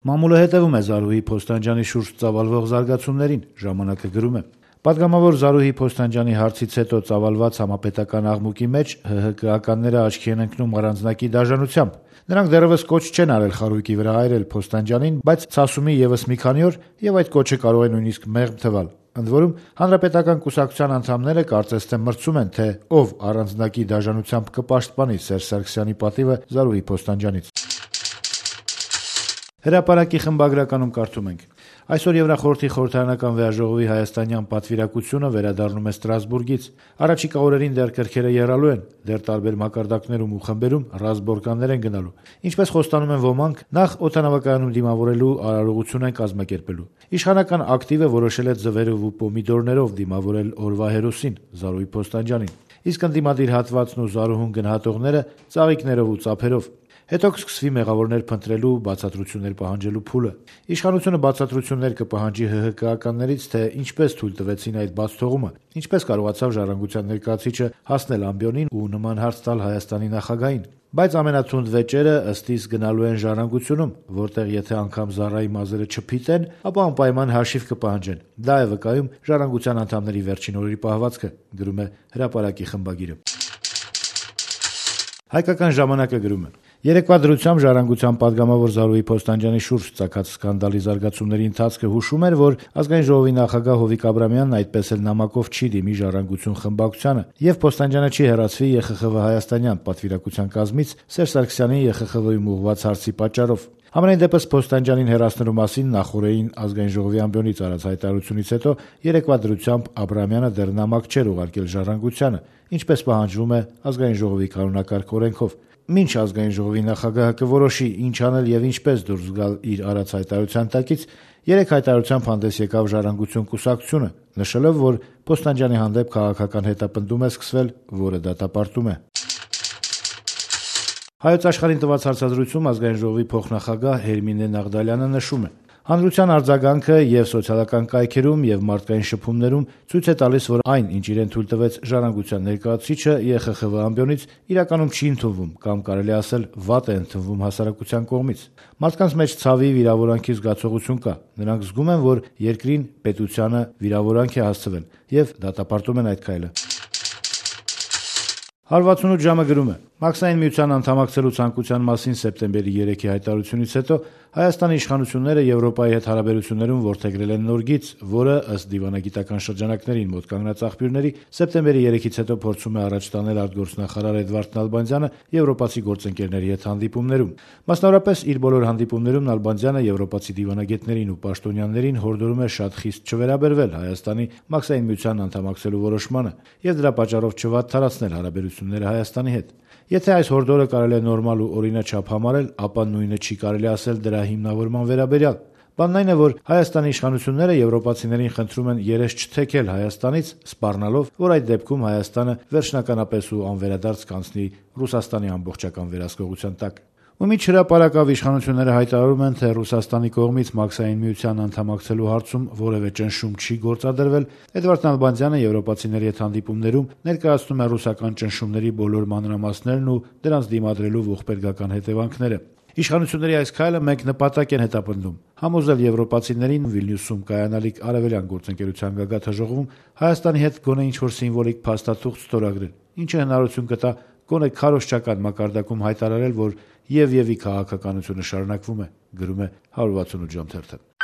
Մամուլը հետևում է Զարուհի Փոստանջյանի շուրջ ծավալվող զարգացումներին, ժամանակը գրում է. Պատգամավոր Զարուհի Փոստանջյանի հարցից հետո ծավալված համապետական աղմուկի մեջ ՀՀԿ-ականները աչքի են ընկնում առանձնակի դաժանությամբ։ Նրանք դեռևս կոչ չեն արել խարույկի վրա այրել Փոստանջյանին, բայց ցասումի ևս մի քանի օր եւ այդ կոչը կարող է նույնիսկ մեղմ թվալ։ Ընդ որում, Հանրապետական կուսակցության անդամները կարծես թե մրցում են, թե ով առանձնակի դաժանությամբ կպաշտպանի Սերժ Սարգսյանի պատիվը Զարուհի Փոստանջյանից։ Հրապարակի խմբագրականում կարդում ենք. այսօր Եվրախորհրդի խորհրդարանական վեաժողովի հայաստանյան պատվիրակությունը վերադառնում է Ստրասբուրգից։ Առաջիկա օրերին դեռ կրքերը եռալու են, դեռ տարբեր մակարդակներում ու խմբերում ռազմբորկաններ են գնալու։ Ինչպես խոստանում են ոմանք, նախ օդանավակայանում դիմավորելու արարողություն են կազմակերպելու։ Իշխանական ակտիվը որոշել է ձվերով ու պոմիդորներով դիմավորել օրվա հերոսին՝ Զարուհի Փոստանջյանին, իսկ ընդդիմադիր հատվածն ու Զարուհուն գնահատողները ծաղիկներով ու ծափերով։ Հետո կսկսվի մեղավորներ փնտրելու ու բացատրություններ պահանջելու փուլը։ Իշխանությունը բացատրություններ կպահանջի ՀՀԿ-ականներից, թե ինչպես թույլ տվեցին այդ բացթողումը, ինչպես կարողացավ Ժառանգության ներկայացուցիչը հասնել ամբիոնին ու նման հարց տալ Հայաստանի նախագահին։ Բայց ամենաթունդ վեճերը ըստ իս գնալու են Ժառանգությունում, որտեղ եթե անգամ Զարայի մազերը չփիտեն, ապա անպայման հաշիվ կպահանջեն։ Դա է վկայում Ժառանգության անդամների վերջին օրերի պահվածքը, գրում է Հրապարակի խմբագիրը։ Հայկական ժամանակը գրում է. Երեկվա դրությամբ Ժառանգության պատգամավոր Զարուհի Փոստանջյանի շուրջ ծագած սկանդալի զարգացումների ընթացքը հուշում էր, որ Ազգային ժողովի նախագահ Հովիկ Աբրամյանն այդպես էլ նամակով չի դիմի Ժառանգություն խմբակցությանը, եւ Փոստանջյանը չի հեռացվի ԵԽԽՎ հայաստանյան պատվիրակության կազմից Սերժ Սարգսյանի ԵԽԽՎ-ում ուղղված հարցի պատճառով։ Համենայն դեպս Փոստանջյանին հեռացնելու մասին նախօրեին Ազգային ժողովի ամբիոնից արած հայտարարությունից հետո երեկվա դրությամբ Աբրամյանը դեռ նամակ չէր ուղարկել Ժառանգությանը, ինչպես պահանջվում է Ազգային ժողովի կանոնակարգ օրենքով։ Մինչ Ազգային ժողովի նախագահը կորոշի ինչ անել եւ ինչպես դուրս գալ իր արած հայտարարության տակից, երեք հայտարարությամբ հանդես եկավ Ժառանգություն կուսակցությունը, նշելով, որ Փոստանջյանի հանդեպ քաղաքական հետապնդում է սկսվել, որը դատապարտում է։ Հայոց աշխարհին տված հարցազրույցում Ազգային ժողովի փոխնախագահ Հերմինե Նաղդալյանը նշում է. հանրության արձագանքը եւ սոցիալական կայքերում եւ մարդկային շփումներում ցույց է տալիս, որ այն, ինչ իրեն թույլ տվեց Ժառանգության ներկայացուցիչը ԵԽԽՎ ամբիոնից, իրականում չի ընդունվում կամ կարելի ասել վատ է ընդունվում հասարակության կողմից։ Մարդկանց մեջ ցավի, վիրավորանքի զգացողություն կա։ Նրանք զգում են, որ երկրին, պետությանը վիրավորանք է հասցվել եւ դատապարտում են այդ քայլը։ 168 ժամը գրում է. Մաքսային միության անդամակցելու ցանկության մասին սեպտեմբերի 3-ի հայտարարությունից հետո Հայաստանի իշխանությունները Եվրոպայի հետ հարաբերություններում որդեգրել են նոր գիծ, որը ըստ դիվանագիտական շրջանակներին մոտ կանգնած աղբյուրների սեպտեմբերի 3-ից հետո փորձում է առաջ տանել արտգործնախարար Էդվարդ Նալբանդյանը եվրոպացի գործընկերների հետ հանդիպումներում։ Մասնավորապես իր բոլոր հանդիպումներում Նալբանդյանը եվրոպացի դիվանագետներին ու պաշտոնյաներին հորդորում է շատ խիստ չվերաբերվել Հայաստանի Մաքսային միության անդամակցելու որոշմանը եւ դրա պատճառով չվատթարացնել հարաբերությունները Հայաստանի հետ։ Եթե այս հորդորը կարելի է նորմալ ու օրինաչափ համարել, ապա նույնը չի կարելի ասել դրա հիմնավորման վերաբերյալ։ Բանն այն է, որ Հայաստանի իշխանությունները եվրոպացիներին խնդրում են երես չթեքել Հայաստանից, սպառնալով, որ այդ դեպքում Հայաստանը վերջնականապես ու անվերադարձ կանցնի Ռուսաստանի ամբողջական վերահսկողության տակ։ Ու մինչ հրապարակավ իշխանությունները հայտարարում են, թե Ռուսաստանի կողմից Մաքսային միության անդամակցելու հարցում որևէ ճնշում չի գործադրվել, Էդվարդ Նալբանդյանը եվրոպացիների հետ հանդիպումներում ներկայացնում է ռուսական ճնշումների բոլոր մանրամասներն ու դրանց դիմադրելու ողբերգական հետևանքները։ Իշխանությունների այս քայլը մեկ նպատակ են հետապնդում՝ համոզել եվրոպացիներին Վիլնյուսում կայանալիք արևելյան գործընկերության գագաթնաժողովում Հայաստանի հետ գոնե ինչ-որ սիմվոլիկ փաստաթուղթ ստորագրել, ինչը հնարավորություն կտա գոնե քարոզչական մակարդակում հայտարարել, որ եւ-ի քաղաքականությունը շարունակվում է, գրում է 168 ժամ թերթը։